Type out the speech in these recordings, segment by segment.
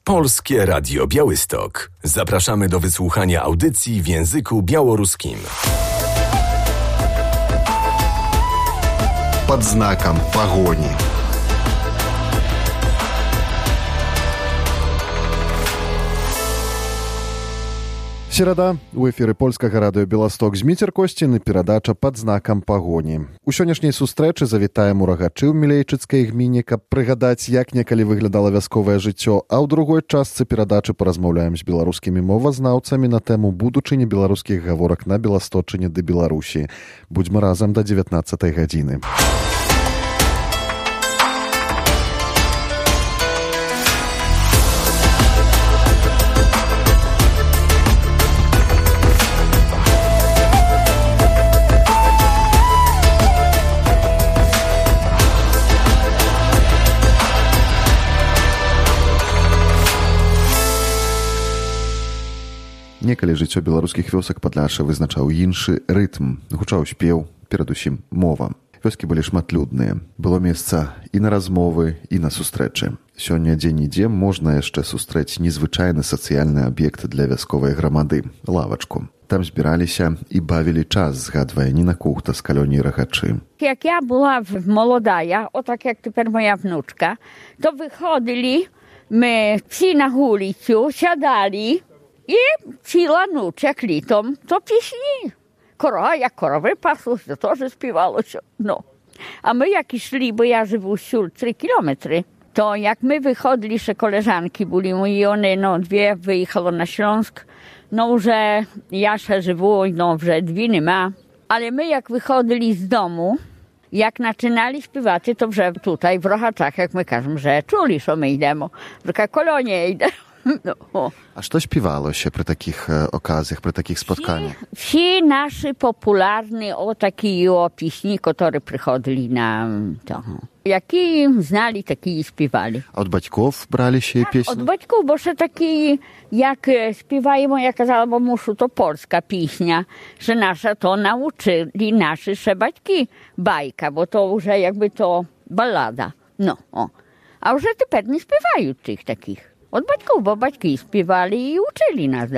Polskie Radio Białystok. Zapraszamy do wysłuchania audycji w języku białoruskim. Под знаком погони. Серада. У эфіры польскага радыё «Беласток» Зміцер Косцін і перадача «Пад знакам пагоні». У сённяшняй сустрэчы завітаем у Рагачы ў Мілейчыцкай гміне, каб прыгадаць, як некалі выглядала вясковае жыццё, а ў другой частцы перадачы паразмаўляем з беларускімі мовазнаўцамі на тэму будучыні беларускіх гаворак на Беласточыне ды Беларусі. Будзьмо разам да 19 гадзіны. Некалі жыццё беларускіх вёсак падляша вызначаў іншы рытм, гучаў спеў, перадусім мова. Вёскі былі шматлюдныя. Было месца і на размовы, і на сустрэчы. Сёння дзе-нідзе можна яшчэ сустрэць незвычайны сацыяльны аб'ект для вясковай грамады – лавачку. Там збіраліся і бавілі час, згадвае Ніна Кухта з калоніі Рагачы. Jak ja była młoda, o tak jak teraz moja wnuczka, to wychodzili my psi na ulicę, siadali i ci lanuczek litom, to pieśni. Jak korowy pasły, to też śpiewało się. No. A my jak szli, bo ja żywu wśród 3 kilometry, to jak my wychodzili, że koleżanki byli i one, no 2 wyjechało na Śląsk, no że ja się żywu, no że 2 nie ma. Ale my jak wychodzili z domu, jak zaczynali śpiewać, to że tutaj w Rochaczach, jak my każemy, że czuli, że my idziemy, że jaka kolonia idzie. No. A co śpiewało się przy takich okazjach, przy takich spotkaniach? Wsi nasi popularni o taki pieśni, które przychodzili na to. Jaki znali, taki śpiewali. A od baćków brali się pieśni? Od baćków, bo że taki, jak śpiewają, jak kazała, bo muszu, to polska pieśnia, że nasza to nauczyli nasi baćki bajka, bo to już jakby to ballada. No, o. A już teraz nie śpiewają tych takich. Od baćków, bo baćki śpiewali i uczyli nas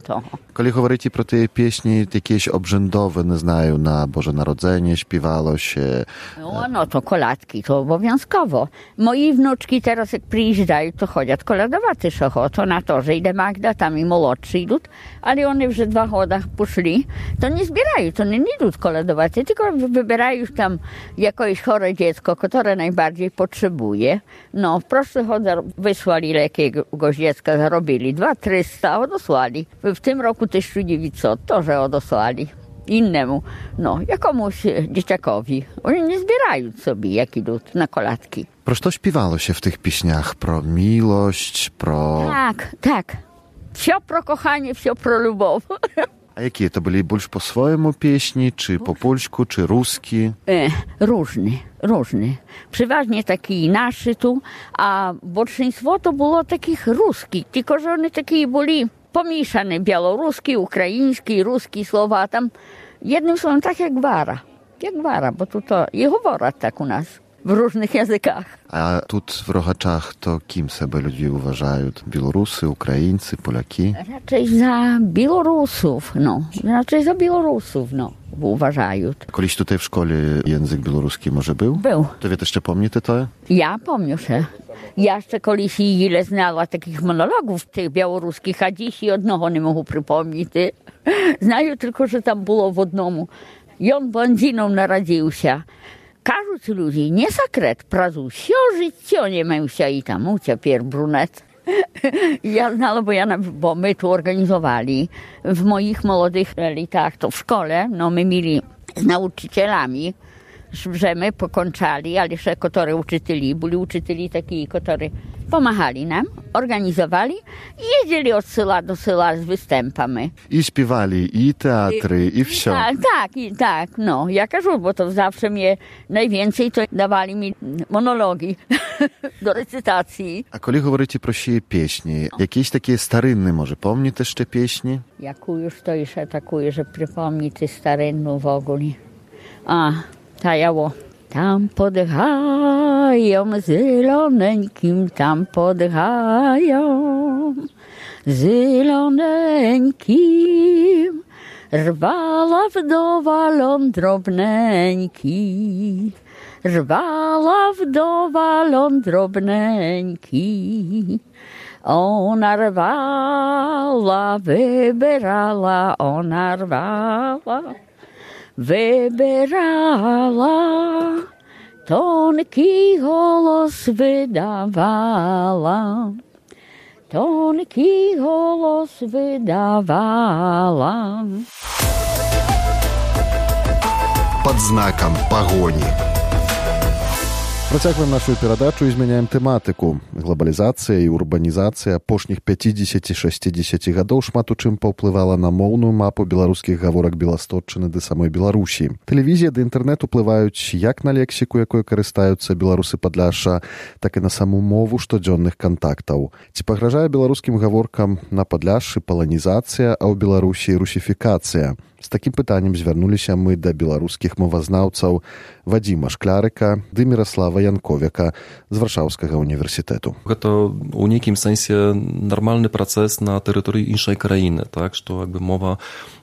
to. Коли говорите про ті пісні, якісь обрządowe, не знаю, на Boże Narodzenie śpiewało się... No to koladki, to obowiązkowo. Moi wnuczki teraz jak przyjeżdżają, to chodzą koladować to na to, że idę Magda, tam i młodszy idą, ale one już 2 godach poszli, to nie zbierają, to nie idą koladować, tylko wybierają tam jakieś chore dziecko, które najbardziej potrzebuje. No, w proszły chodzą, wysłali jakiegoś dziecka, zarobili 200-300, odesłali. W tym roku 1900, to, że odesłali innemu, no, jakiemuś dzieciakowi. Oni nie zbierają sobie, jak idą na kolatki. Про що śpiewało się w tych pieśniach? Про miłość, pro... Tak. Все про kochanie, все про любов. A jakie to byli? Больше po swojemu pieśni, czy po polsku, czy ruski? Różne. Przeważnie taki naszy tu, a большинство to było takich ruskich, tylko że one takie byli pomieszane, białoruski, ukraiński, ruski słowa, tam jednym słowem tak jak gwara, bo tu to i говорять tak u nas, w różnych językach. A tu w Rochaczach to kim sobie ludzie uważają? Białorusy, Ukraińcy, Polaki? Raczej za Białorusów, uważają. Kiedyś tutaj w szkole język białoruski może był? Był. To wy jeszcze pamiętacie to? Ja pamiętam się. Ja jeszcze kiedyś ile znała takich monologów tych białoruskich, a dziś jednego nie mogę przypomnieć. Znają tylko, że tam było w одному. I on blondiną narodził się. Кажуть ludzie, nie sekret, prazu все życie nie miał się i tam uciekł brunet. Ja znала, bo my tu organizowali w moich młodych latach, to w szkole, no my mieli z nauczycielami, że my pokończali, ale jeszcze które uczyteli, byli uczyteli takich, którzy pomagali nam, organizowali i jeździli od sela do sela z występami. I śpiewali, i teatry, i wsio. Tak, no. Ja кажу, bo to zawsze mnie najwięcej to dawali mi monologi do recytacji. A kiedy mówicie pro siebie pieśni, jakieś takie starynne może, pomni też te pieśni? Jaką już to jeszcze atakuje, że przypomni ty starynną w ogóle. Ta jało. Tam podchają zieloneńkim, tam podchają. zieloneńkim, rwala wdowa ląd drobneńki, rwala wdowa ląd drobneńki. Ona rwala, wybierała, ona rwala, wybierała, tonki głos wydawała, tonki głos wydawała. Пад знакам пагоні. Працягваем нашу перадачу і змяняем тэматыку. Глабалізацыя і урбанізацыя апошніх 50-60 гадоў шмат у чым паўплывала на моўную мапу беларускіх гаворак беластотчыны ды самой Беларусі. Тэлевізія ды інтэрнэт уплываюць як на лексіку, якой карыстаюцца беларусы Падляшша, так і на саму мову штодзённых кантактаў. Ці пагражае беларускім гаворкам на Падляшшы паланізацыя, а ў Беларусі русіфікацыя? З такім пытаннем звярнуліся мы да беларускіх мовазнаўцаў Вадзіма Шклярыка ды Міраслава Янковіка з Варшаўскага універсітэту. Гэта ў нейкім сэнсе нармальны працэс на тэрыторыі іншай краіны, так, што мова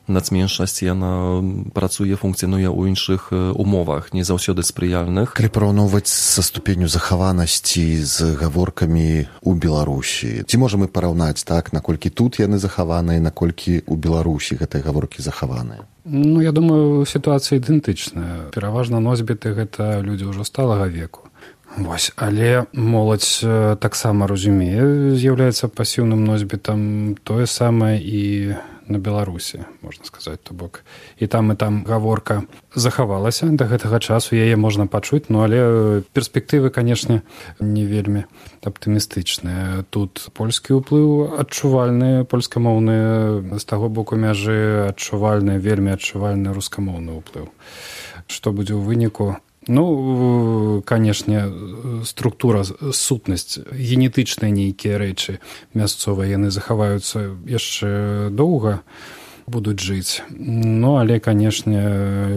нацменшасці, яна працуе, функцыянуе ў іншых умовах, не заўсёды спрыяльных. Калі параўноўваць са ступенню захаванасці з гаворкамі ў Беларусі, ці можам мы параўнаць, так, наколькі тут яны захаваныя, наколькі ў Беларусі гэтыя гаворкі захаваныя? Ну, я думаю, сітуацыя ідэнтычная. Пераважна носьбіты гэта людзі ўжо сталага веку. Вось, але моладзь таксама разумее, з'яўляецца пасіўным носьбітам, тое самае і на Беларусі, можна сказаць, то бок. І там гаворка захавалася да гэтага часу, яе можна пачуць, ну, але перспектывы, канешне, не вельмі аптымістычныя. Тут польскі ўплыў адчувальны, польскамоўны, з таго боку мяжы адчувальны, вельмі адчувальны рускамоўны ўплыў. Што будзе ў выніку? Ну, канешне, структура, сутнасць, генетычныя нейкія рэчы мясцовыя, яны захаваюцца яшчэ доўга, будуць жыць. Ну, але, канешне,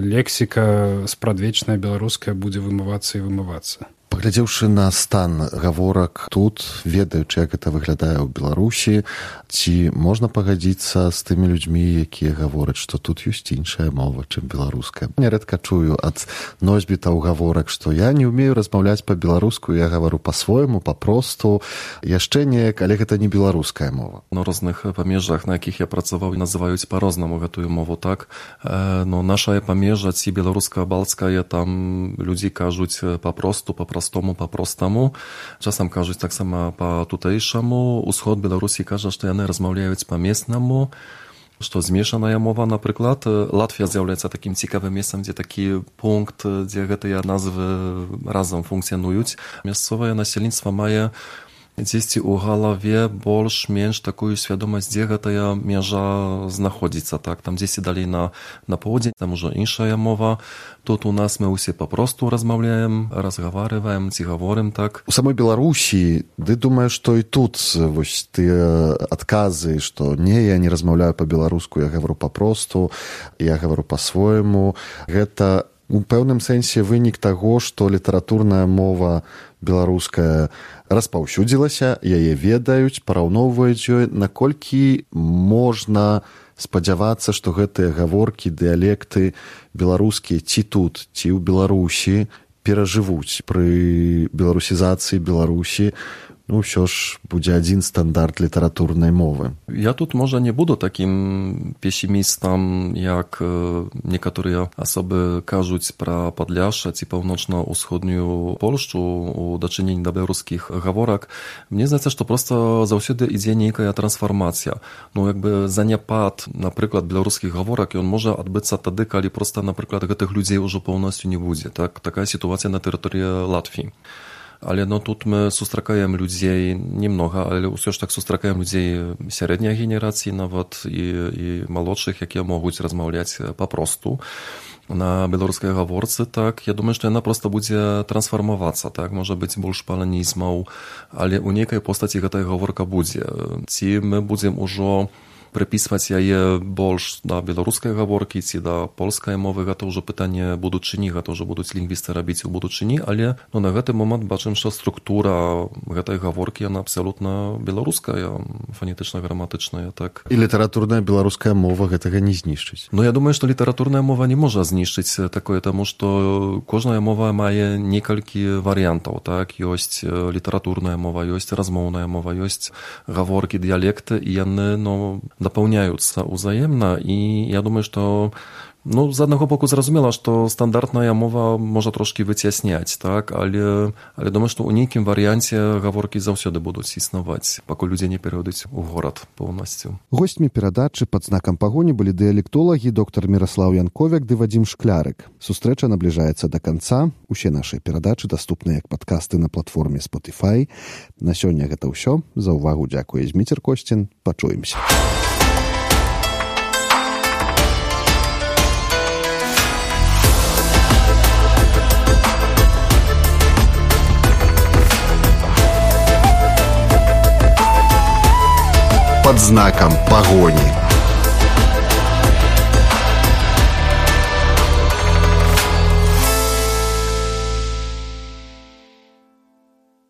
лексіка спрадвечная беларуская будзе вымывацца і вымывацца. Паглядзеўшы на стан гаворак тут, ведаючы, як гэта выглядае ў Беларусі, ці можна пагадзіцца з тымі людзьмі, якія гавораць, што тут ёсць іншая мова, чым беларуская. Нярэдка чую ад носьбітаў гаворак, што я не ўмею размаўляць па-беларуску, я гавару па-свойму, па-просту, яшчэ неяк, але гэта не беларуская мова. На розных памежжах, на якіх я працаваў, называюць па-рознаму гэтую мову, так. Но наша памежжа, ці беларуска-балцкая, там людзі кажуць па-просту, па-простаму. Часам кажуць таксама па-тутэйшаму. Усход Беларусі кажа, што яны размаўляюць па-местнаму, што змешаная мова, напрыклад. Латвія з'яўляецца такім цікавым месцам, дзе такі пункт, дзе гэтыя назвы разам функцыянуюць. Мясцовае насельніцтва мае дзесьці ў галаве больш-менш такую свядомасць, дзе гэтая мяжа знаходзіцца. Так, там дзесьці далей на поўдзень, там ужо іншая мова. Тут у нас мы ўсе папросту размаўляем, разгаварываем, ці гаворым, так. У самой Беларусі, ты думаеш, што і тут вось тыя адказы, што не, я не размаўляю па-беларуску, я гавару папросту, я гавару па-свойму. Гэта у пэўным сэнсе вынік таго, што літаратурная мова беларуская распаўсюдзілася, яе ведаюць, параўноўваюць ёй, наколькі можна спадзявацца, што гэтыя гаворкі, дыялекты беларускія ці тут, ці ў Беларусі перажывуць пры беларусізацыі Беларусі. Ну, ўсё ж будзе адзін стандарт літаратурнай мовы. Я тут, можа, не буду такім песімістам, як некаторыя асобы кажуць пра Падляшша ці паўночна-ўсходнюю Польшчу у дачыненні да беларускіх гаворак. Мне здаецца, што проста заўсёды ідзе нейкая трансфармацыя. Ну, заняпад, напрыклад, беларускіх гаворак, ён можа адбыцца тады, калі проста, напрыклад, гэтых людзей ужо поўнасцю не будзе. Так, такая сітуацыя на тэрыторыі Латвіі. Але тут мы сустракаем людзей немнога, але ўсё ж так сустракаем людзей сярэдняй генерацыі нават і малодшых, якія могуць размаўляць папросту на беларускай гаворцы. Так, я думаю, што яна проста будзе трансфармавацца, так, можа быць больш паланізмаў, але ў нейкай постаці гэтая гаворка будзе. Ці мы будзем ужо прыпісваць яе больш да беларускай гаворкі ці да польскай мовы, гэта ўжо пытанне будучыні, гэта ўжо будуць лінгвісты рабіць у будучыні, але на гэты момант бачым, што структура гэтай гаворкі яна абсалютна беларуская, фанетычна-граматычная, так. І літаратурная беларуская мова гэтага не знішчыць. Я думаю, што літаратурная мова не можа знішчыць такое, таму што кожная мова мае некалькі варыянтаў, так, ёсць літаратурная мова, ёсць размоўная мова, ёсць гаворкі, дыялекты, і яны, дапаўняюцца ўзаемна, і я думаю, што з аднаго боку зразумела, што стандартная мова можа трошкі выцясняць, так, але думаю, што ў нейкім варыянце гаворкі заўсёды будуць існаваць, пакуль людзі не перайдуць у горад поўнасцю. Госцьмі перадачы «Пад знакам пагоні» былі дыялектолагі доктар Міраслаў Янковяк ды Вадзім Шклярык. Сустрэча набліжаецца да канца. Усе нашы перадачы даступныя як падкасты на платформе Spotify. На сёння гэта ўсё. За ўвагу дзякуе Зміцер Косцін. Пачуемся. «Под знаком погони».